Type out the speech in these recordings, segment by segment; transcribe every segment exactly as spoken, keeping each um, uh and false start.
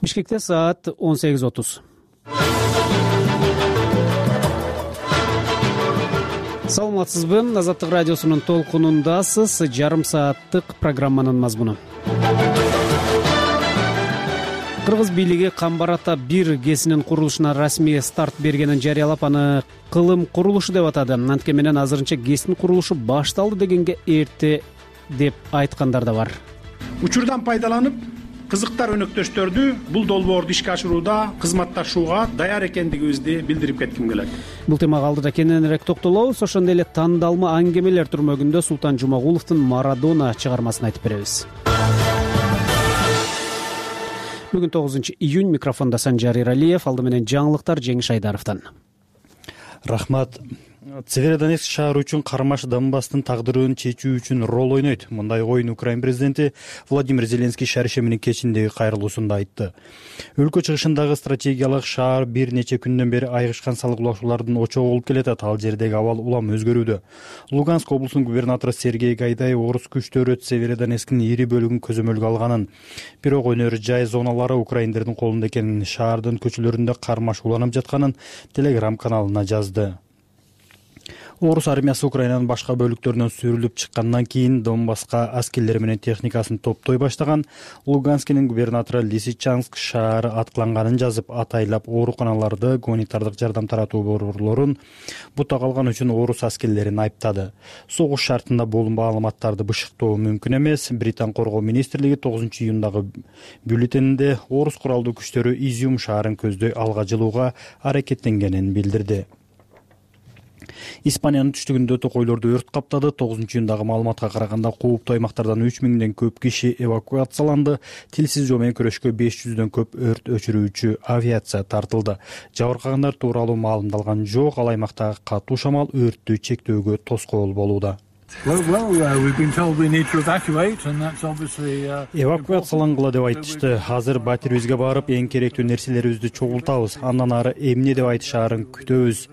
Бишкекте саат он сегиз отуз. Саламатсызбы? Азаттык радиосунун толкунундасыз. Жарым сааттык программанын мазмуну. Кыргыз бийлиги Камбар ата бир ГЭСинин курулушуна расмий старт бергенин жарыялап, аны кылым курулушу деп атады. Анткени менен азырынча ГЭСтин курулушу башталды дегенге эрте деп айткандар да бар. Учурдан пайдаланып, кызыктар өнөктөштөрдү бул долбоорду ишке ашырууда кызматташууга даяр экендигибизди билдирип кетким келет. Бул темага алдыда кененирээк токтолобуз. Ошондой эле тандалма аңгемелер түрмөгүндө Султан Жумагуловдун Марадона чыгармасын айтып беребиз. Бүгүн тогузунчу июнь, микрофондо Санжар Иралиев, алды менен жаңылыктар Жеңиш Айдаровдон. Рахмат. Северодонецк шаары үчүн Кармаш Донбасстын тагдырын чечүү үчүн рол ойнойт. Мындай оюн Украин президенти Владимир Зеленский шаршембинин кечиндеги кайрылуусунда айтты. Өлкө чыгышындагы стратегиялык шаар бир нече күндөн бери айгышкан салгылашуулардын очогу болуп келатат. Ал жердеги абал улам өзгөрүүдө. Луганск облусунун губернатору Сергей Гайдай орус күчтөрү Северодонецктин ири бөлүгүн көзөмөлгө алганын, бирок өнөр жай зоналары украиндердин колунда экенин, шаардын көчөлөрүндө кармаш уланып жатканын Telegram каналына жазды. Орус армиясы Украинанын башка бөлүктөрүнөн сүрүлүп чыккандан кийин Донбасска аскерлери менен техникасын топтой баштаган. Луганскинин губернатору Лисичанск шаары аткыланганын жазып, атайлап ооруканаларды, гуманитардык жардам таратуу борборлорун бута калган үчүн орус аскерлерин айыптады. Согуш шартында бул маалыматтарды бышыктоо мүмкүн эмес. Британ коргоо министрлиги тогузунчу июндагы бюллетенинде орус куралдуу күчтөрү Изюм шаарын көздөй алга жылууга аракеттенгенин билдирди. Испаниянын түштүгүндө токойлорду өрт каптады. тогузунчу июндагы маалыматка караганда кооптуу аймактардан үч миңден көп киши эвакуацияланды. Тилсиз жоо менен күрөшкө беш жүздөн көп өрт өчүрүүчү авиация тартылды. Жабыркагандар тууралуу маалымдалган жок. Ал аймактагы катуу шамал өрттү чектөөгө тоскоол болууда. Эвакуациялангыла деп айтышты. Азыр батирибизге барып, эң керектүү нерселерибизди чогултабыз. Андан ары эмне деп айтышаарын күтөбүз,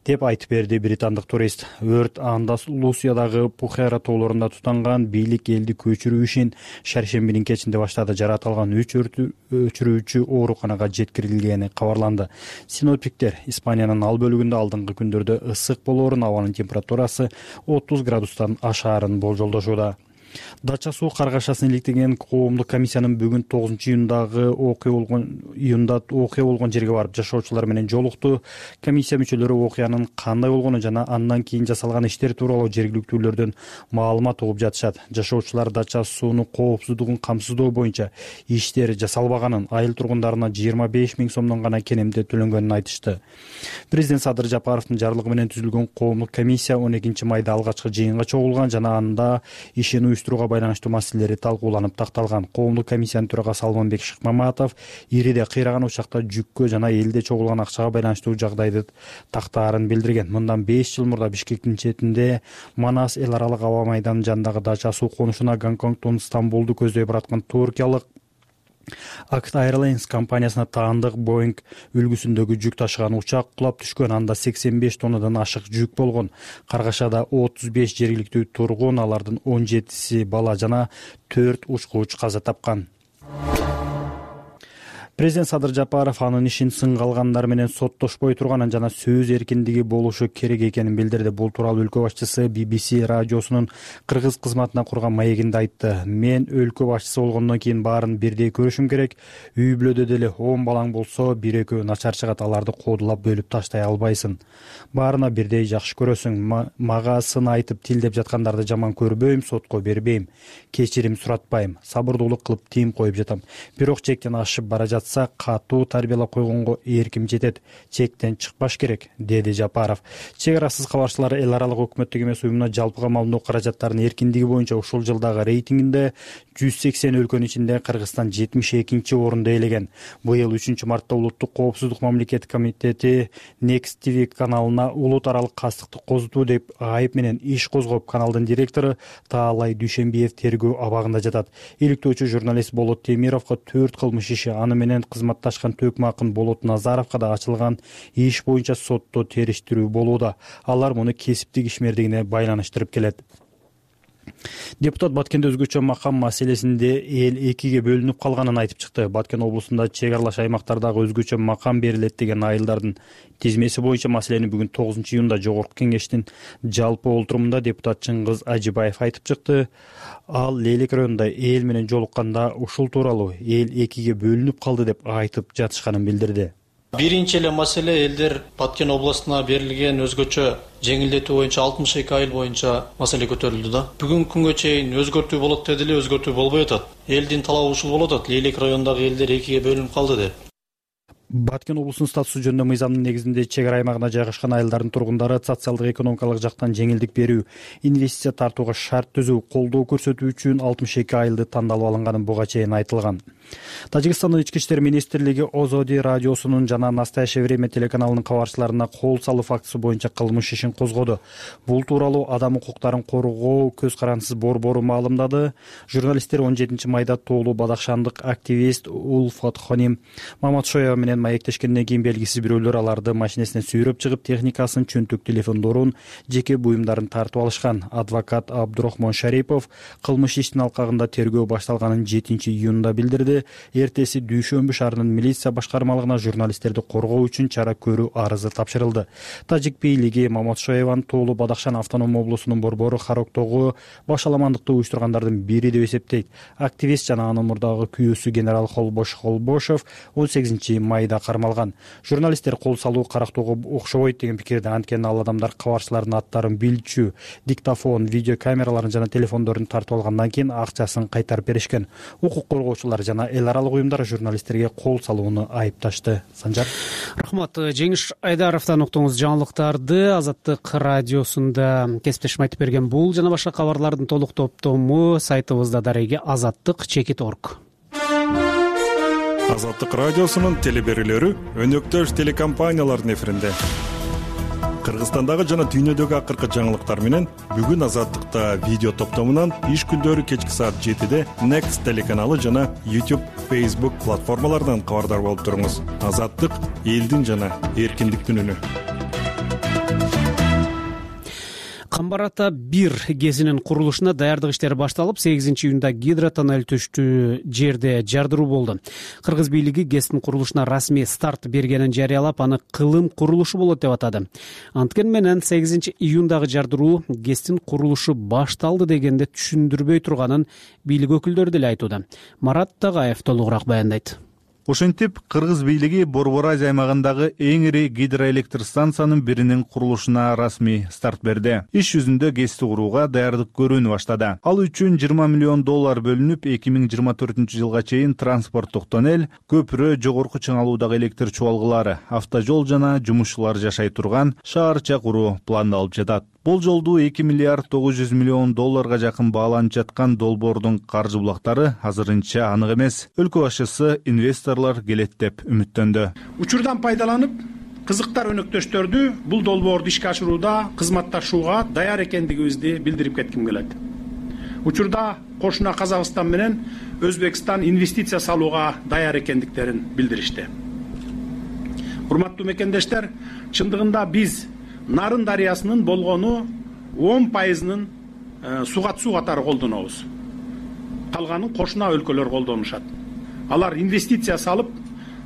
деп айтып берди британдык турист. Өрт Андалусиядагы Пухера тоолорунда тутанган. Бийлик элди көчүрүү ишин шаршембинин кечинде баштады. Жаратылган үч өчүрүүчү ооруканага жеткирилгени кабарланды. Синоптиктер Испаниянын ал бөлүгүндө алдыңкы күндөрдө ысык болоорун, абанын температурасы отуз градустан ашаарын болжолдошууда. Дача суу каргашасын иликтеген коомдук комиссиянын бүгүн тогузунчу июндагы окуя болгон июнда окуя болгон жерге барып жашоочулар менен жолукту. Комиссия мүчөлөрү окуянын кандай болгону жана андан кийин жасалган иштер тууралуу жергиликтүүлөрдөн маалымат угуп жатышат. Жашоочулар дача суунун коопсуздугун камсыздоо боюнча иштер жасалбаганын, айыл тургундарына жыйырма беш миң сомдон гана кенемде төлөнгөнүн айтышты. Президент Садыр Жапаровдун жарлыгы менен түзүлгөн коомдук комиссия он экинчи майда алгачкы жыйынга чогулган жана анда ишин уюштурууга байланыштуу маселелери талкууланып такталган. Коомдук комиссиянын төрагасы Алманбек Шыкмаматов ириде кыйраган учакта жүккө жана элде чогулган акчага байланыштуу жагдайды тактаарын билдирген. Мындан беш жыл мурда Бишкектин четинде Манас эл аралык аба майданынын жанындагы дача суу конушуна Гонконгдон Стамбулду көздөй бараткан туркиялык Act Airlines компаниясына таандык Boeing үлгүсүндөгү жүк ташыган учак кулап түшкөн. Анда сексен беш тоннадан ашык жүк болгон. Каргашада отуз беш жергиликтүү тургун, алардын он жетиси бала жана төрт учкуч каза тапкан. Президент Садыр Жапаров анын ишин сынга алгандар менен соттошпой турганын жана сөз эркиндиги болушу керек экенин билдирди. Бул тууралуу өлкө башчысы би би си радиосунун кыргыз кызматына курган маегинде айтты. Мен өлкө башчысы болгондон кийин баарын бирдей көрүшүм керек. Үй бүлөдө деле он балаң болсо, бир экөө начар чыгат, аларды кодулап бөлүп таштай албайсың. Баарына бирдей жакшы көрөсүң. Мага сын айтып тилдеп жаткандарды жаман көрбөйм, сотко бербейм, кечирим суратпайм, сабырдуулук кылып тим коюп жатам. Бирок чектен ашып бара жатса катуу тарбиялап койгонго эрким жетет. Чектен чыкпаш керек, деди Жапаров. Чек арасыз кабарчылар эл аралык өкмөттүк эмес уюмуна жалпы камалдоо каражаттарынын эркиндиги боюнча ушул жылдагы рейтингинде жүз сексен өлкөнүн ичинде Кыргызстан жетимиш экинчи орунду ээлеген. Быйыл үчүнчү мартта Улуттук коопсуздук мамлекеттик комитети Next ти ви каналына улут аралык кастыкты козутуу деп айып менен иш козгоп, каналдын директору Таалай Дүйшөнбиев тергөө абагында жатат. Иликтөөчү журналист Болот Темировго төрт кылмыш иши, аны менен кызматташкан Төкмакын Болот Назаровго да ачылган иш боюнча сотто териштирүү болууда. Алар муну кесиптик ишмердигине байланыштырып келет. Депутат Баткенде өзгөчө макам маселесинде эл экиге бөлүнүп калганын айтып чыкты. Баткен облусунда чек аралаш аймактардагы өзгөчө макам берилет деген айылдардын тизмеси боюнча маселени бүгүн тогузунчу июнда жогорку кеңештин жалпы олтурумунда депутат Чыңгыз Ажибаев айтып чыкты. Ал Лейлек районунда эл менен жолукканда ушул тууралуу эл экиге бөлүнүп калды деп айтып жатышканын билдирди. Биринчи эле маселе элдер Баткен областына берилген өзгөчө жеңилдетүү боюнча алтымыш эки айыл боюнча маселе көтөрүлдү да. Бүгүнкү күнгө чейин өзгөртүү болот деди эле, өзгөртүү болбой атат. Элдин талабы ушул болуп атат. Лейлек районундагы элдер экиге бөлүнүп калды деп. Баткен облусунун статусу жөнүндө мыйзамдын негизинде чек ара аймагына жайгашкан айылдардын тургундары социалдык экономикалык жактан жеңилдик берүү, инвестиция тартууга шарт түзүү, колдоо көрсөтүү үчүн алтымыш эки айылды тандалып алынганы буга чейин айтылган. Тажикстандын ички иштер министрлиги Озоди радиосунун жана Настоящее время телеканалынын кабарчыларына кол салуу фактысы боюнча кылмыш ишин козгоду. Бул тууралуу Адам укуктарын коргоо көз карансыз борбору маалымдады. Журналисттер он жетинчи майда тоолуу бадакшандык активист Улфат Хоним Маматшоева менен маектешкенден кийин белгисиз бирөөлөр аларды машинесине сүйрөп чыгып, техникасын, чөнтөк телефондорун, жеке буюмдарын тартып алышкан. Адвокат Абдурахмон Шарипов кылмыш иштин алкагында тергөө башталганын жетинчи июнда билдирди. Эртеси Дүйшөмбү шаарынын милиция башкармалыгына журналисттерди коргоо үчүн чара көрүү арызы тапшырылды. Тажик бийлиги Маматшоеван тоолуу Бадахшан автоном облусунун борбору Хароктогу башаламандыкты уюштургандардын бири деп эсептейт. Активист жана анын мурдагы күйөөсү генерал Холбош Холбошов он сегизинчи майда кармалган. Журналисттер кол салуу Карактоого окшобойт деген пикирде, анткени ал адамдар кабарчылардын аттарын билчү, диктофон, видео камераларын жана телефондорун тартып алгандан кийин акчасын кайтарып беришкен. Укук коргоочулар жана эл аралык уюмдар журналисттерге кол салууну айыпташты. Санжар. Рахмат. Жеңиш Айдаровдон уктуңуз жаңылыктарды. Азаттык радиосунда кесиптешим айтып берген бул жана башка кабарлардын толук топтому сайтыбызда дареги азаттык чекит точка орг. Азаттык радиосунун телеберүүлөрү өнөктөш телекомпаниялардын эфиринде. Кыргызстандагы жана дүйнөдөгү акыркы жаңылыктар менен бүгүн Азаттыкта видео топтомунан иш күндөрү кечки саат жетиде Next телеканалы жана YouTube, Facebook платформаларынан кабардар болуп туруңуз. Азаттык — элдин жана эркиндиктин үнү. Камбар ата бир кезинин курулушуна даярдык иштери башталып, сегизинчи июнда гидротоннель түштүү жерде жардыруу болду. Кыргыз бийлиги ГЭСтин курулушуна расмий старт бергенин жарыялап, аны кылым курулушу болот деп атады. Анткени менен сегизинчи июндагы жардыруу ГЭСтин курулушу башталды дегенде түшүндүрбөй турганын бийлик өкүлдөрү деле айтууда. Марат Тагаев толугураак баяндайт. Ошентип, Кыргыз бийлиги Борбор Азия аймагындагы эң ири гидроэлектр станциянын биринин курулушуна расмий старт берди. Иш жүзүндө ГЭСти курууга даярдык көрүүнү баштады. Ал үчүн жыйырма миллион доллар бөлүнүп, эки миң жыйырма төртүнчү жылга чейин транспорттук тоннель, көпүрө, жогорку чыңалуудагы электр чубалгылары, автожол жана жумушчулар жашай турган шаарча куруу пландалып жатат. Бул жолду эки миллиард тогуз жүз миллион долларга жакын бааланып жаткан долбоордун каржы булактары азырынча анык эмес. Өлкө башчысы инвесторлор келет деп үмүттөндү. Учурдан пайдаланып, кызыктар өнөктөштөрдү бул долбоорду ишке ашырууда кызматташууга даяр экендигибизди билдирип кетким келет. Учурда кошуна Казакстан менен Өзбекстан инвестиция салууга даяр экендиктерин билдиришти. Урматтуу мекендештер, чындыгында биз Нарын дарыясынын болгону он пайызынын суга суу катары колдонобуз. Калганын кошуна өлкөлөр колдонушат. Алар инвестиция салып,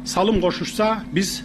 салым кошушса, биз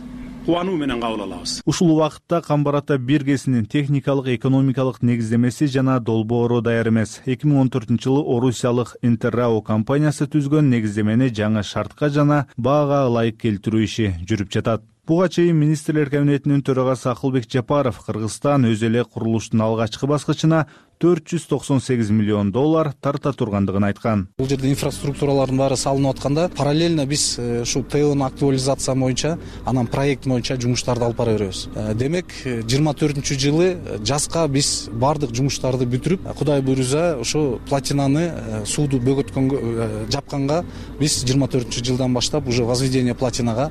кубануу менен кабыл алабыз. Ушул убакытта Камбар ата бир ГЭСинин техникалык, экономикалык негиздемеси жана долбоору даяр эмес. эки миң он төртүнчү жылы Орусиялык Интеррао компаниясы түзгөн негиздемени жаңы шартка жана баага ылайык келтирүү иши жүрүп жатат. Буга чейин министрлер кабинетинин төрагасы Акылбек Жапаров Кыргызстан өз эле курулуштун алгачкы баскычына төрт жүз токсон сегиз миллион доллар тарта тургандыгын айткан. Бул жерде инфраструктуралардын баары салынып атканда, параллельно биз ушу ТОнун актуализация боюнча, анан проект боюнча жумуштарды алып бара беребиз. Демек, жыйырма төртүнчү жылы жазга биз бардык жумуштарды бүтүрүп, Кудай буйруза, ушу платинаны, сууду бөгөткөнгө, жапканга биз жыйырма төртүнчү жылдан баштап уже возведение платинага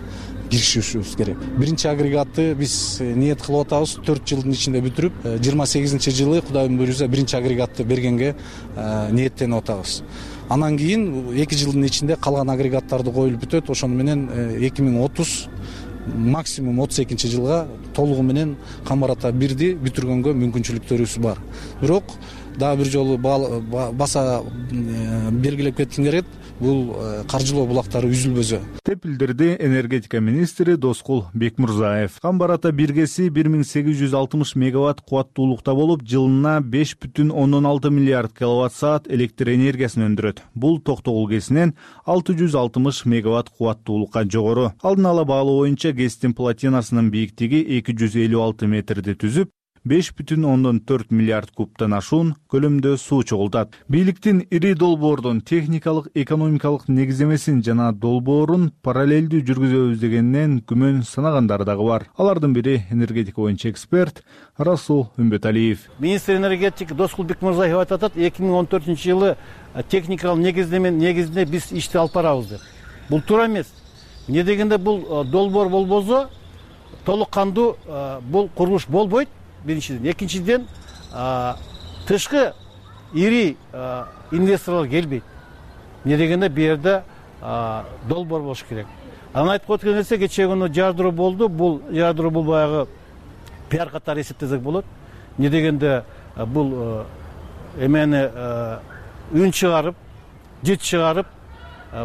киришишибиз керек. Биринчи агрегатты биз ниет кылып атабыз, төрт жылдын ичинде бүтүрүп, жыйырма сегизинчи жылы Кудайдын буйруза биринчи агрегатты бергенге ниеттенип атабыз. Анан кийин эки жылдын ичинде калган агрегаттарды коюлуп бүтөт. Ошону менен эки миң отуз максимум отуз экинчи жылга толугу менен Камбар ата бирди бүтүргөнгө мүмкүнчүлүктөрүбүз бар. Бирок дагы бир жолу баса белгилеп кетким келет, бул каржылоо булактары үзүлбөсө деп билдирди энергетика министри Доскул Бекмурзаев. Камбар-Ата биргеси бир миң сегиз жүз алтымыш мегаватт кубаттуулукта болуп, жылына беш бүтүн ондон алты миллиард киловатт саат электр энергиясын өндүрөт. Бул Токтогул ГЭСинен алты жүз алтымыш мегаватт кубаттуулукка жогору. Алдын ала баалоо боюнча ГЭСтин плотинасынын бийиктиги эки жүз элүү алты метрди түзүп, беш бүтүн ондон төрт миллиард кубтан ашуун көлөмдө суу чогултат. Бийликтин ири долбоордун техникалык, экономикалык негиздемесин жана долбоорун параллелдүү жүргүзөбүз дегеннен күмөн санагандары дагы бар. Алардын бири энергетика боюнча эксперт Расул Үмбеталиев. Министр энергетика Доскул Бекмурзаев айтып атат, эки миң он төртүнчү жылы техникалык негиздеменин негизинде биз ишти алып барабыз деп. Бул туура эмес. Эмне дегенде бул долбоор болбосо толук кандуу бул курулуш болбойт. Биринчиден, экинчиден, тышкы ири инвесторлор келбейт. Эмне дегенде бу жерде долбоор болуш керек. Анан айтып өткөн нерсе, кечээ күнү жардыруу болду. Бул жардыруу бул баягы пиар катары эсептесек болот. Эмне дегенде бул эмени үн чыгарып, жит чыгарып,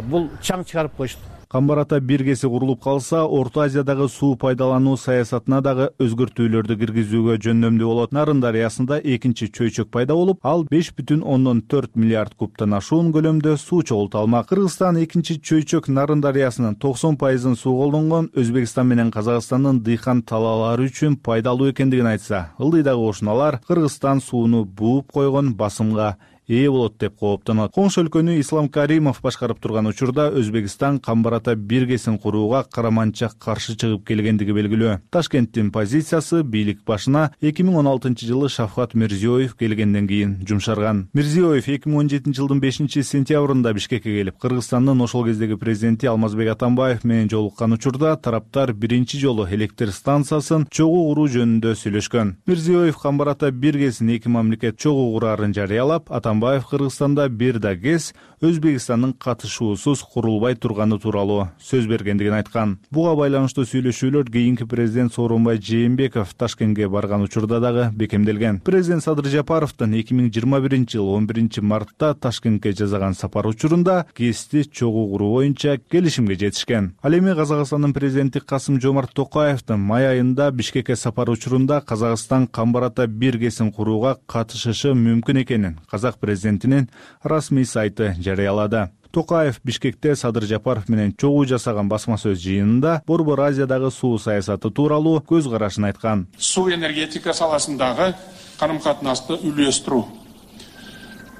бул чаң чыгарып коюшту. Камбар-Ата биргеси курулуп калса, Орто Азиядагы суу пайдалануу саясатына дагы өзгөртүүлөрдү киргизүүгө жөндөмдүү болот. Нарын дарыясында экинчи чөйчөк пайда болуп, ал беш бүтүн ондон төрт миллиард кубтан ашуун көлөмдө суу чогулта алмак. Кыргызстан экинчи чөйчөк Нарын дарыясынын токсон пайызын суу колдонгон Өзбекстан менен Казакстандын дыйкан талаалары үчүн пайдалуу экендигин айтса, ылдыйдагы кошуналар Кыргызстан сууну бууп койгон басымга ээ болот деп кооптонот. Коңшу өлкөнү Ислам Каримов башкарып турган учурда Өзбекстан Камбар-Ата биргесин курууга караманча каршы чыгып келгендиги белгилүү. Ташкенттин позициясы бийлик башына эки миң он алтынчы жылы Шавкат Мирзиёев келгенден кийин жумшарган. Мирзиёев эки миң он жетинчи жылдын бешинчи сентябрында Бишкекке келип, Кыргызстандын ошол кездеги президенти Алмазбек Атамбаев менен жолуккан учурда тараптар биринчи жолу электр станциясын чогуу куруу жөнүндө сүйлөшкөн. Мирзиёев Камбар-Ата биргесин эки мамлекет чогуу курарын жарыялап, Атамбаев Кыргызстанда бир да ГЭС Өзбекстандын катышуусуз курулбай турганы тууралуу сөз бергендигин айткан. Буга байланыштуу сүйлөшүүлөр кийинки президент Сооронбай Жээнбеков Ташкентке барган учурда дагы бекемделген. Президент Садыр Жапаровдун эки миң жыйырма биринчи жылы он биринчи мартта Ташкентке жасаган сапар учурунда ГЭСти чогуу куруу боюнча келишимге жетишкен. Ал эми Казакстандын президенти Касым Жомарт Токаевдин май айында Бишкекке сапар учурунда Казакстан Камбар-Ата биргесин курууга катышышы мүмкүн экенин Казак президентинин расмий сайты жарыялады. Токаев Бишкекте Садыр Жапаров менен чогуу жасаган басма сөз жыйынында Борбор Азиядагы суу саясаты тууралуу көз карашын айткан. Суу энергетика саласындагы карым-катнашты үйлөстүрүү.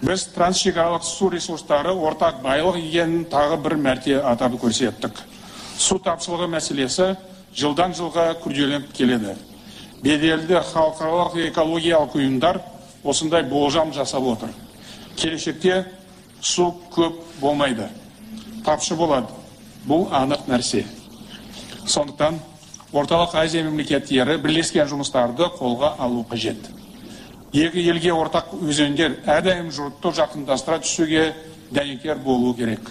Биз трансшекаралык суу ресурстары ортак байлык экенин тагы бир мерте атап көрсөттүк. Суу тапшылыгы маселеси жылдан жылга күрделенип келеді. Беделди халкаралык экологиялык уюмдар осындай болжам жасап отыр. Келешекте су көп болмайды, тапшы болады. Бұл анық нәрсе. Сондықтан Орталық Азия мемлекеттері бірлескен жұмыстарды қолға алу қажет. Екі елге ортақ өзендер әрдайым жұртты жақындастыра түсуге дәнекер болу керек.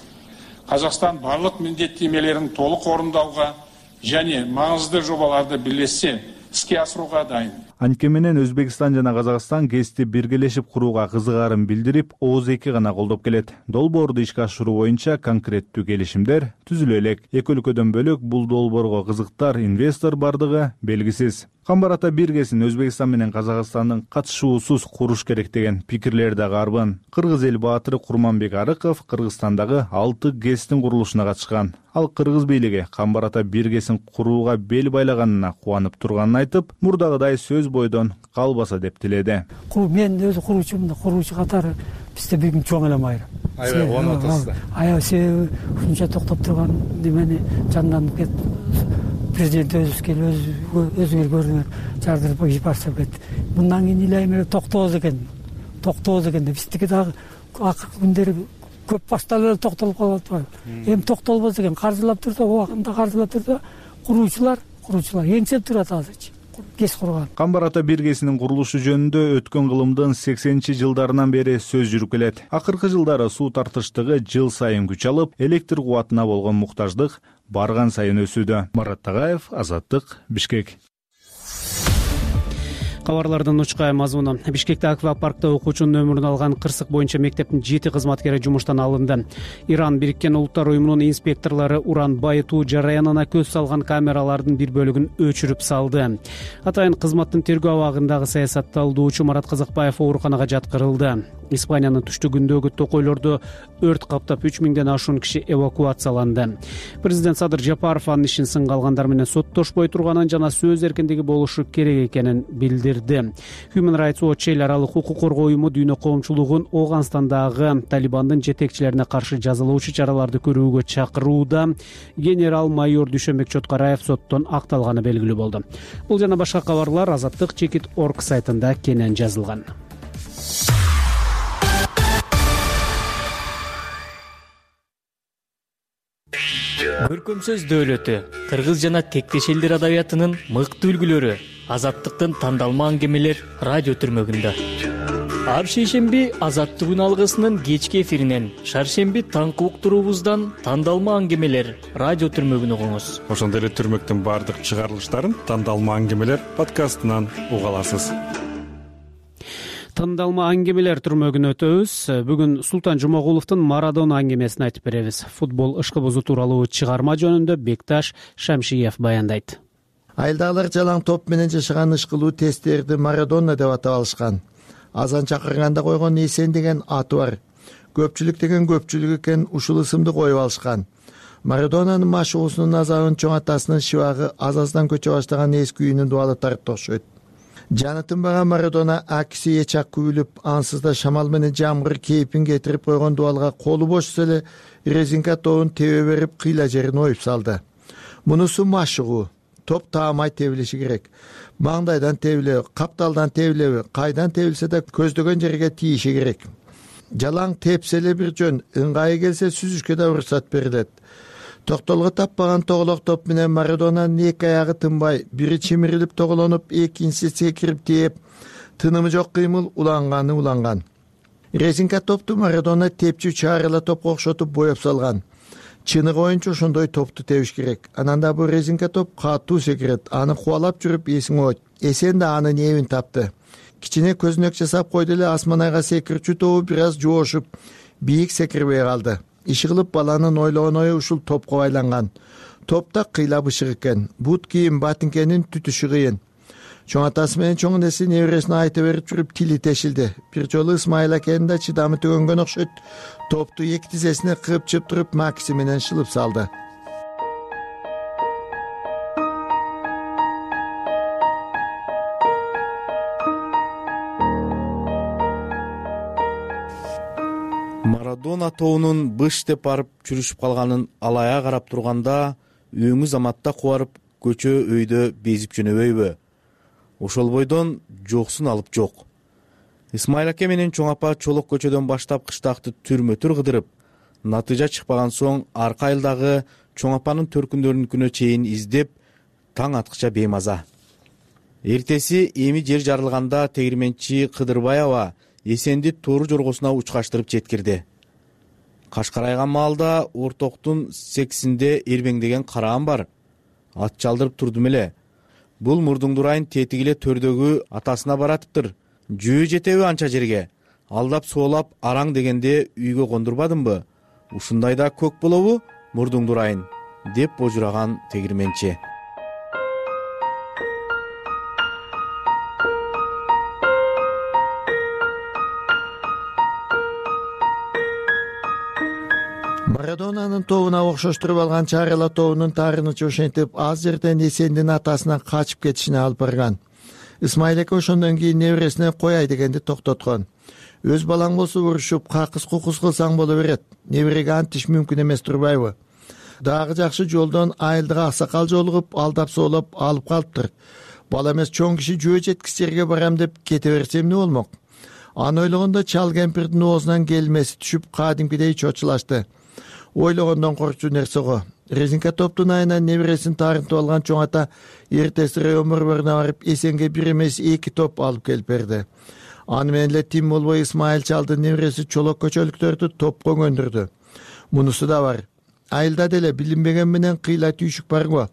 Қазақстан барлық міндеттемелерін толық орындауға және маңызды жобаларды бірлессе иске асыруга дайын. Анткени менен Өзбекстан жана Казакстан ГЭСти биргелешип курууга кызыгаарын билдирип, ооз эки гана колдоп келет. Долбоорду ишке ашыруу боюнча конкреттүү келишимдер түзүлө элек. Эки өлкөдөн бөлөк бул долбоорго кызыктар инвестор бардыгы белгисиз. Камбар-Ата биргесин Өзбекстан менен Казакстандын катышуусуз куруш керек деген пикирлер дагы арбын. Кыргыз эл баатыры Курманбек Арыков Кыргызстандагы алты ГЭСтин курулушуна катышкан. Ал кыргыз бийлиги Камбар-Ата биргесин курууга бел байлаганына кубанып турганын айтып, мурдагыдай сөз бойдон калбаса деп тиледи. Мен өзү куруучумун, куруучу катары бизде бүгүн чоң эле майра. Аябай кубанып атасыздар. Аябай себеби ушунча токтоп турган немени жанданып кетти. Президент өзү келип өзүңөр көрдүңөр, жардырып барса кетти. Мындан кийин илейм эле токтобоз экен. Токтобоз экен деп биздики дагы акыркы күндөрү көп баштап эле токтолуп калып атпайбы? Эми токтолбос экен, каржылап турса, убагында каржылап турса, куруучулар, куруучулар еңсеп турат азырчы. ГЭС курган. Камбар-Ата биргесинин курулушу жөнүндө өткөн кылымдын сексенинчи жылдарынан бери сөз жүрүп келет. Акыркы жылдары суу тартыштыгы жыл сайын күч алып, электр кубатына болгон муктаждык барган сайын өсүүдө. Марат Тагаев, Азаттык, Бишкек. Кабарлардын учкай мазмуну. Бишкекте аквапаркта окуучунун өмүрүн алган кырсык боюнча мектептин жети кызматкери жумуштан алынды. Иран Бириккен Улуттар уюмунун инспекторлору уран байытуу жараянына көз салган камералардын бир бөлүгүн өчүрүп салды. Атайын кызматтын тергөө абагындагы саясатталдоочу Марат Казакбаев ооруканага жаткырылды. Испаниянын түштүгүндөгү токойлордо өрт каптап үч миңден ашуун киши эвакуацияланды. Президент Садыр Жапаров анын ишин сынга алгандар менен соттошпой турганын жана сөз эркиндиги болушу керек экенин билдирди. Human Rights Watch эл аралык укук коргоо уюму дүйнө коомчулугун Ооганстандагы Талибандын жетекчилерине каршы жазалоочу чараларды көрүүгө чакырууда. Генерал майор Дүйшөнбек Чоткараев соттон акталганы белгилүү болду. Бул жана башка кабарлар азаттык чекит точка орг сайтында кенен жазылган. Көркөм сөз дөөлөтү, кыргыз жана тектеш элдер адабиятынын мыкты үлгүлөрү, азаттыктын тандалма аңгемелер радио түрмөгүндө. Ар шейшемби Азаттыгүн алгысынын кечки эфиринен, шаршемби таңкы уктуруубуздан тандалма аңгемелер радио түрмөгүн угуңуз. Ошондой эле түрмөктүн баардык чыгарылыштарын тандалма аңгемелер подкастынан уга аласыз. Тандалма аңгемелер түрмөгүн өтөбүз. Бүгүн Султан Жумагуловдун Марадона аңгемесин айтып беребиз. Футбол ышкыбызу тууралуу чыгарма жөнүндө Бекташ Шамшиев баяндайт. Айылдагылар жалаң топ менен жашаган ышкылуу тесттерди Марадона деп атап алышкан. Азан чакырганда койгон Эсен деген аты бар. Көпчүлүк деген көпчүлүк экен, ушул ысымды коюп алышкан. Марадонанын машыгуусунун азабын чоң атасынын шыбагы аз-аздан көчө баштаган эски үйүнүн дубалы тартып окшойт. Жаны тынбаган Марадона акиси эчак күбүлүп, ансыз да шамал менен жамгыр кейпин кетирип койгон дубалга колу бошсо эле резинка тобун тебе берип, кыйла жерин оюп салды. Мунусу машыгуу. Топ таамай тебилиши керек. Маңдайдан тебилеби, капталдан тебилеби, кайдан тебилсе да көздөгөн жерге тийиши керек. Жалаң тепсе эле бир жөн, ыңгайы келсе сүзүшкө да уруксат берилет. Токтолго таппаган тоголок топ менен Марадонанын эки аягы тынбай, бири чимирилип тоголонуп, экинчиси секирип тээп, тынымы жок кыймыл уланганы уланган. Резинка топту Марадона тепчү чаарыла топко окшотуп боеп салган. Чыныгы оюнчу ошондой топту тебиш керек. Анан да бул резинка топ катуу секирет. Аны кубалап жүрүп эсиң ойт. Эсен да анын эбин тапты. Кичине көзүнөк жасап койду эле асман айга секирчү тобу бир аз жоошуп, бийик секирбей калды. Иши кылып баланын ойлогон ою ушул топко байланган. Топта кыйла бышык экен. Бут кийим батинкенин түтүшү кыйын. Чоң атасы менен чоң энеси небересине айта берип жүрүп тили тешилди. Бир жолу Исмайыл акенин да чыдамы төгөнгөн окшойт. Топту эки тизесине кыпчып туруп макси менен шылып салды. Марадона тобунун быш деп барып жүрүшүп калганын алая карап турганда, өңү заматта кубарып, көчө өйдө безип жөнөбөйбү? Ошол бойдон жоксун алып жок. Исмайыл аке менен чоң апа чолок көчөдөн баштап кыштакты түрмө-түр кыдырып, натыйжа чыкпаган соң арка айылдагы чоң апанын төркүндөрүнүкүнө чейин издеп, таң аткыча беймаза. Эртеси эми жер жарылганда тегирменчи Кыдырбаева Эсенди тору жоргосуна учкаштырып жеткирди. Кашкарайган маалда ортоктун сексинде эрбеңдеген караам бар. Ат чалдырып турдум эле. Бул Мурдуңдурайын тетиги эле төрдөгү атасына баратыптыр. Жөө жетеби анча жерге? Алдап соолап араң дегенде үйгө кондурбадымбы? Ушундайда көк болобу Мурдуңдурайын, деп божураган тегирменчи. Марадонанын тобуна окшоштуруп алган чарыла тобунун таарынычы ошентип аз жерден Эсендин атасынан качып кетишине алып барган. Исмайыл аке ошондон кийин небересине кояй дегенди токтоткон. Өз балаң болсо урушуп, какыс кукус кылсаң боло берет. Небереге антиш мүмкүн эмес турбайбы? Дагы жакшы жолдон айылдык аксакал жолугуп, алдап соолоп алып калыптыр. Бала эмес чоң киши жөө жеткис жерге барам деп кете берсем эмне болмок? Аны ойлогондо чал кемпирдин оозунан келмеси түшүп, кадимкидей чочулашты. Ойлогондон коркчу нерсе го. Резинка топтун айынан небересин таарынтып алган чоң ата эртеси район борборуна барып Эсенге бир эмес эки топ алып келип берди. Аны менен эле тим болбой Исмайыл чалдын небереси чолок көчөлүктөрдү топко көндүрдү. Мунусу да бар. Айылда деле билинбеген менен кыйла түйшүк бар го.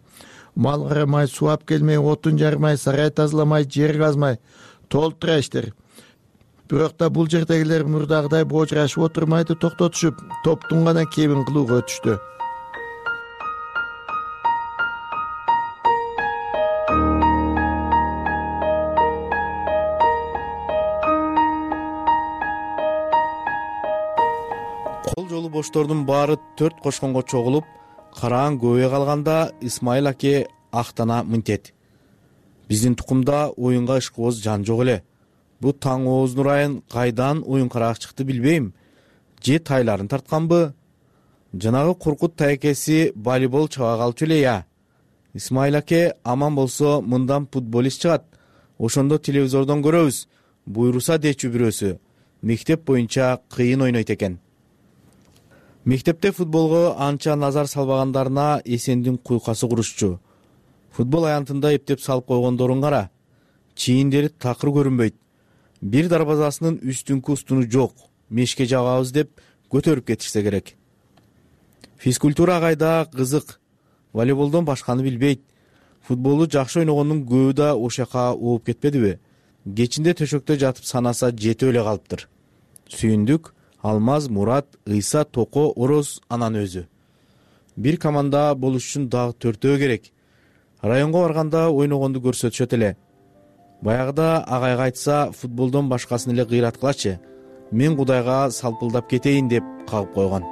мал карамай, сууап келмей, отун жармай, сарай тазаламай, жер казмай толтура иштер. Бирок да бул жердегилер мурдагыдай божурашып отурмайды, токтотушуп, топтун гана кебин кылууга өтүштү. Кол жолу боштордун баары төрт кошконго чогулуп, караан көбөйө калганда Исмайыл аке актана мынтет: биздин тукумда оюнга ышкыбоз жан жок эле. Бу таң ооздун айын кайдан оюн карак чыкты билбейм. Же тайларын тартканбы? Жанагы Куркут тайкеси волейбол чаба калчу эле я. Исмайыл аке аман болсо мындан футболист чыгат. Ошондо телевизордон көрөбүз. Буйруса дечү бирөөсү. Мектеп боюнча кыйын ойнойт экен. Мектепте футболго анча назар салбагандарына Эсендин куйкасы курушчу. Футбол аянтында эптеп салып койгондорун кара. Чийиндери такыр көрүнбөйт. Бир дарбазасынын үстүнкү устуну жок. Мешке жагабыз деп көтөрүп кетишсе керек. Физкультура кайда кызык. Волейболдон башканы билбейт. Футболду жакшы ойногондун көбү да ошол жака ооп кетпедиби? Кечинде төшөктө жатып санаса жетип эле калыптыр. Сүйүндүк, Алмаз, Мурат, Ыйса, Токо, Ороз, анан өзү. Бир команда болуш үчүн дагы төртөө керек. Районго барганда ойногонду көрсөтүшөт эле. Баягыда агайга айтса, футболдон башкасын эле кыйраткылачы. Мен Кудайга салпылдап кетейин деп кагып койгон.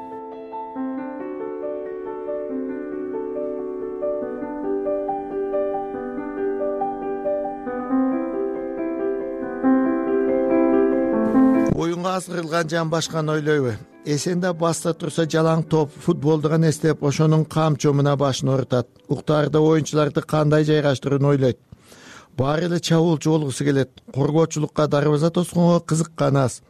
Оюнга азырылган жан башканы ойлойбу? Эсенде баста турса жалаң топ, футболду гана эстеп, ошонун камчомуна башын орутат. Уктаарда оюнчуларды кандай жайгаштырууну ойлойт. Баары эле чабуулчу болгусу келет. Коргоочулукка, дарбаза тосконго кызыккан аз.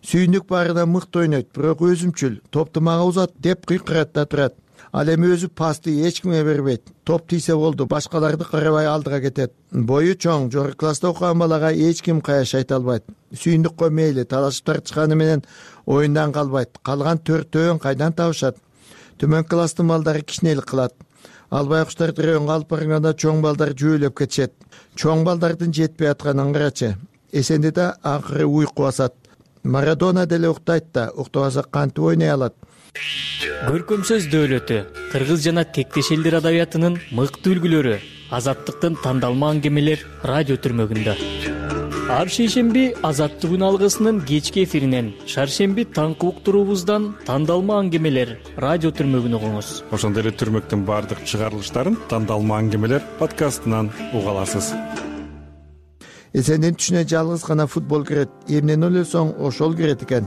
Сүйүндүк баарына мыкты ойнойт, бирок өзүмчүл, топту мага узат деп кыйкырат да турат. Ал эми өзү пасты эч кимге бербейт. Топ тийсе болду, башкаларды карабай алдыга кетет. Бою чоң, жогорку класста окуган балага эч ким каяш айта албайт. Сүйүндүккө мейли талашып тартышканы менен оюндан калбайт. Калган төртөөн кайдан табышат? Төмөн класстын балдары кичинелик кылат. Албай куштарды районго алып барганда чоң балдар жөөлөп кетишет. Чоң балдардын жетпей атканын карачы. Эсенде да акыры уйку басат. Марадона деле уктайт да, уктабаса кантип ойной алат? Көркөм сөз дөөлөтү кыргыз жана тектеш элдер адабиятынын мыкты үлгүлөрү, азаттыктын тандалма аңгемелер радио түрмөгүндө. Ар шейшемби Азаттык күн алгысынын кечки эфиринен, шаршемби таңкы уктуруубуздан тандалма аңгемелер радио түрмөгүн угуңуз. Ошондой эле түрмөктүн баардык чыгарылыштарын тандалма аңгемелер подкастынан уга аласыз. Эсендин түшүнө жалгыз гана футбол кирет. Эмнени ойлосоң ошол кирет экен.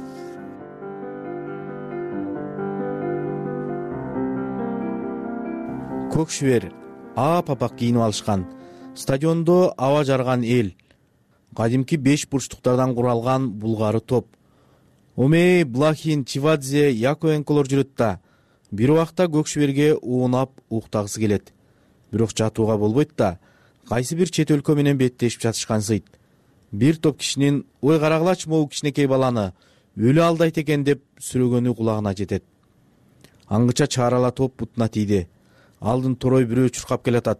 Көк шүбер, ап-апак кийинип алышкан. Стадиондо аба жарган эл. Кадимки беш бурчтуктардан куралган булгары топ. Омей, Блахин, Чивадзе, Яковенколор жүрөт да. Бир убакта көк шүберге уунап уктагысы келет. Бирок жатууга болбойт да. Кайсы бир чет өлкө менен беттешип жатышкансыйт. Бир топ кишинин ой карагылачы могу кичинекей баланы өлү алдайт экен деп сүрөгөнү кулагына жетет. Аңгыча чаарала топ бутуна тийди. Алдын торой бирөө чуркап келатат.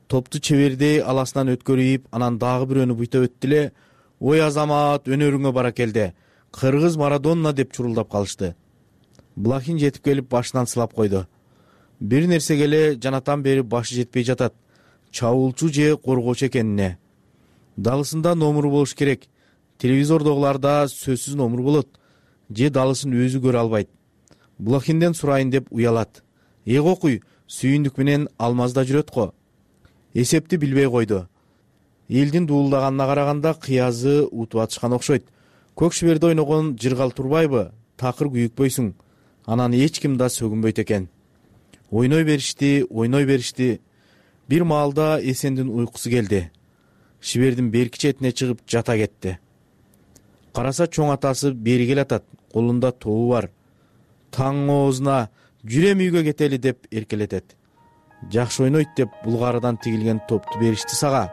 Топту чебердей аласынан өткөрүп, анан дагы бирөөнү буйта өттү эле. Ой Азамат, өнөрүңө бара келди. Кыргыз Марадона деп чурулдап калышты. Блахин жетип келип башынан сылап койду. Бир нерсеге эле жанатан бери башы жетпей жатат. Чабуулчу же коргоочу экенине. Далысында номуру болуш керек. Телевизордогуларда сөзсүз номур болот. Же далысын өзү көрө албайт. Блахинден сурайын деп уялат. Эк окуй, Сүйүндүк менен Алмазда жүрөт го. Эсепти билбей койду. Элдин дуулдаганына караганда кыязы утуп атышкан окшойт. Көк шүберде ойногон жыргал турбайбы? Такыр күйүкпөйсүң. Анан эч ким да сөгүнбөйт экен. Ойной беришти, ойной беришти. Бир маалда Эсендин уйкусу келди. Шибердин берки четине чыгып жата кетти. Караса чоң атасы бери келатат. Колунда тобу бар. Таң оозуна жүрөм үйгө кетели деп эркелетет. Жакшы ойнойт деп булгарыдан тигилген топту беришти сага.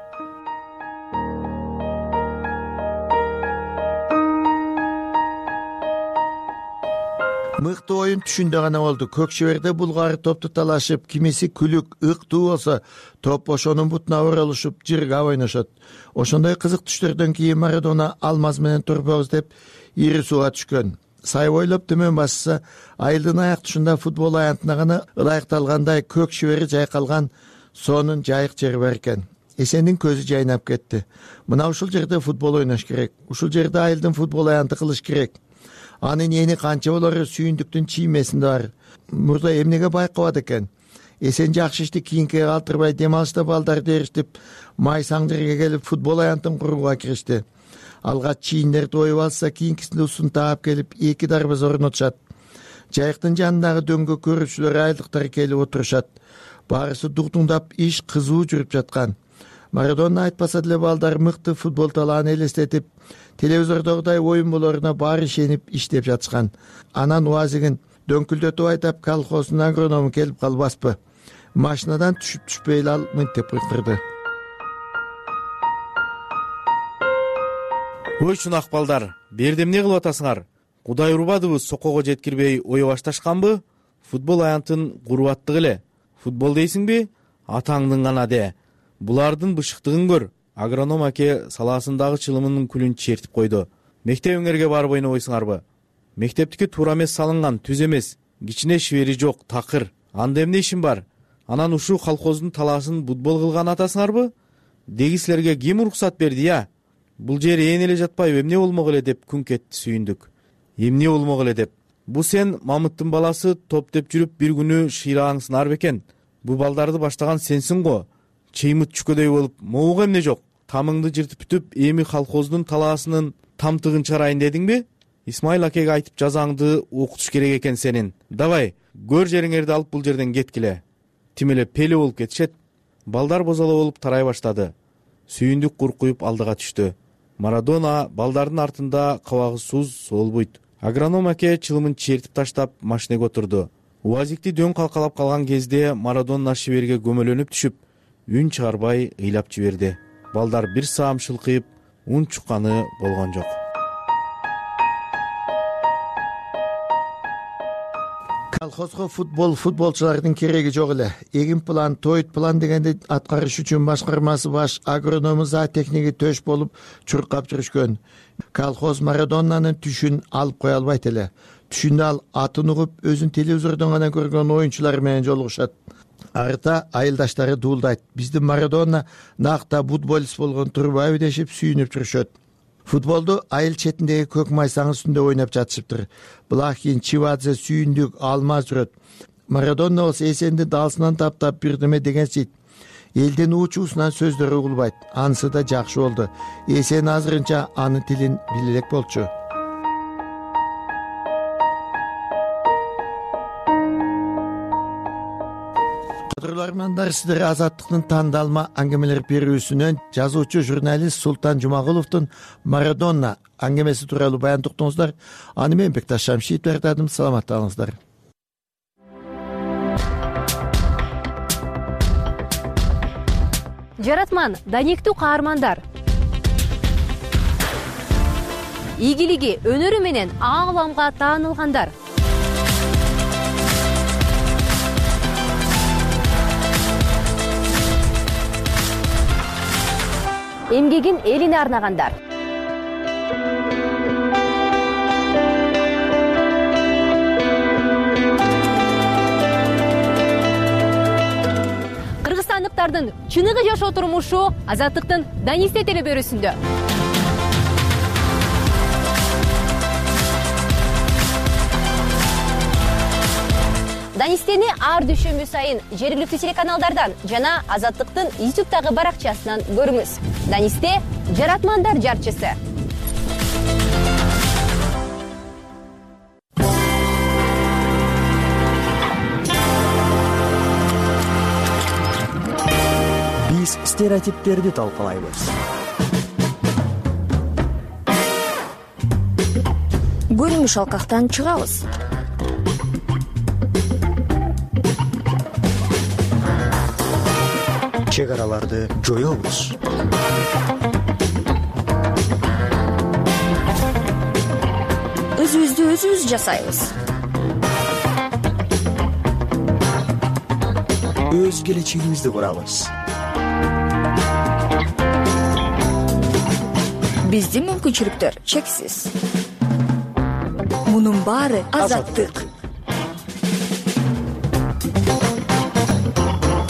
Мыкты оюн түшүндө гана болду. Көк шеберде булгары топту талашып, кимиси күлүк, ыктуу болсо, топ ошонун бутуна оролушуп, жыргап ойношот. Ошондой кызык түштөрдөн кийин Марадона алмаз менен турбоз деп ири сууга түшкөн. Сай бойлоп төмөн басса, айылдын аяк тушунда футбол аянтына гана ылайыкталгандай көк шебери жайкалган сонун жайык жери бар экен. Эсендин көзү жайнап кетти. Мына ушул жерде футбол ойнош керек. Ушул жерде айылдын футбол аянты кылыш керек. Анын эни канча болору сүйүндүктүн чиймесинде бар. Мурда эмнеге байкабат экен? Эсен жакшы ишти кийинкиге калтырбай дем алышта балдарды эришип, майсаң жерге келип футбол аянтын курууга киришти. Алгач чийиндерди оюп алса, кийинкисинде усун таап келип эки дарбаза орнотушат. Жайыктын жанындагы дөңгө көрүүчүлөр айылдыктар келип отурушат. Баарысы дугдуңдап иш кызуу жүрүп жаткан. Марадона айтпаса деле балдар мыкты футбол талааны элестетип, телевизордогудай оюн болоруна баары ишенип иштеп жатышкан. Анан уазигин дөңкүлдөтүп айтап, колхоздун агроному келип калбаспы? Машинадан түшүп түшпөй эле ал мынтип кыйкырды. Ой чунак балдар, берде эмне кылып атасыңар? Кудай урбадыбы сокого жеткирбей ое башташканбы? Футбол аянтын куруп аттык эле. Футбол дейсиңби? Атаңдын гана де. Булардын бышыктыгын көр. Агроном аке салаасындагы чылымынын күлүн чертип койду. Мектебиңерге барып ойнобойсуңарбы? Мектептики туура эмес салынган, түз эмес. Кичине шибери жок, такыр. Анда эмне ишин бар? Анан ушул колхоздун талаасын футбол кылган атасыңарбы? Деги силерге ким уруксат берди, я? Бул жер ээн эле жатпайбы, эмне болмок эле деп күн кетти сүйүндүк. Эмне болмок эле деп. Бу сен Мамыттын баласы топ деп жүрүп бир күнү шыйрагаңсыңар бекен. Бу балдарды баштаган сенсиң го. Чыймыт чүкөдөй болуп, могуга эмне жок? Тамыңды жыртып бүтүп, эми колхоздун талаасынын тамтыгын чыгарайын дедиңби? Исмайыл акеге айтып жазаңды окутуш керек экен сенин. Давай, көр жериңерди алып бул жерден кеткиле. Тим эле пеле болуп кетишет. Балдар бозола болуп тарай баштады. Сүйүндүк куркуюп алдыга түштү. Марадона балдардын артында кабагысыз солбойт. Агроном аке чылымын чертип таштап машинеге отурду. Уазикти дөң калкалап калган кезде Марадона шиберге көмөлөнүп түшүп, үн чыгарбай ыйлап жиберди. Балдар бир саам шылкыйып, ун чукканы болгон жок. Колхозго футбол футболчулардын кереги жок эле. Эгин план, тойт план дегенди аткарыш үчүн башкармасы баш агроному зоотехниги төш болуп чуркап жүрүшкөн. Колхоз Марадонанын түшүн алып кое албайт эле. Түшүндө ал атын угуп, өзүн телевизордон гана көргөн оюнчулар менен жолугушат. Арта айылдаштары дуулдайт. Биздин Марадона накта футболист болгон турбайбы дешип сүйүнүп жүрүшөт. Футболду айыл четиндеги көк майсаң үстүндө ойноп жатышыптыр. Блахин, Чивадзе, Сүйүндүк, Алмаз жүрөт. Марадона болсо эсенди далсынан таптап бирдеме дегенсийт. Элдин уучуусунан сөздөрү угулбайт. Анысы да жакшы болду. Эсен азырынча анын тилин биле элек болчу. Кадрлармандар, сиздер Азаттыктын тандалма аңгемелер берүүсүнөн жазуучу журналист Султан Жумагуловдун Марадона аңгемеси тууралуу баян уктуңуздар. Аны мен Бекташ Шамшиев даярдадым. Саламатта калыңыздар. Жаратман, даниктүү каармандар. Ийгилиги, өнөрү менен ааламга таанылгандар. Эмгегин элине арнагандар. Кыргызстандыктардын чыныгы жашоо турмушу Азаттыктын Данисте телебөрүсүндө. Данистени ар дүйшөмбү сайын жергиликтүү телеканалдардан жана Азаттыктын ютубтагы баракчасынан көрүңүз. Данисте жаратмандар жарчысы. Биз стереотиптерди талкалайбыз. Көрүнүш алкактан чыгабыз. Чек араларды жоёбуз. Өзүбүздү өзүбүз жасайбыз. өз келечегибизди курабыз. Биздин мүмкүнчүлүктөр чексиз. Мунун баары азаттык.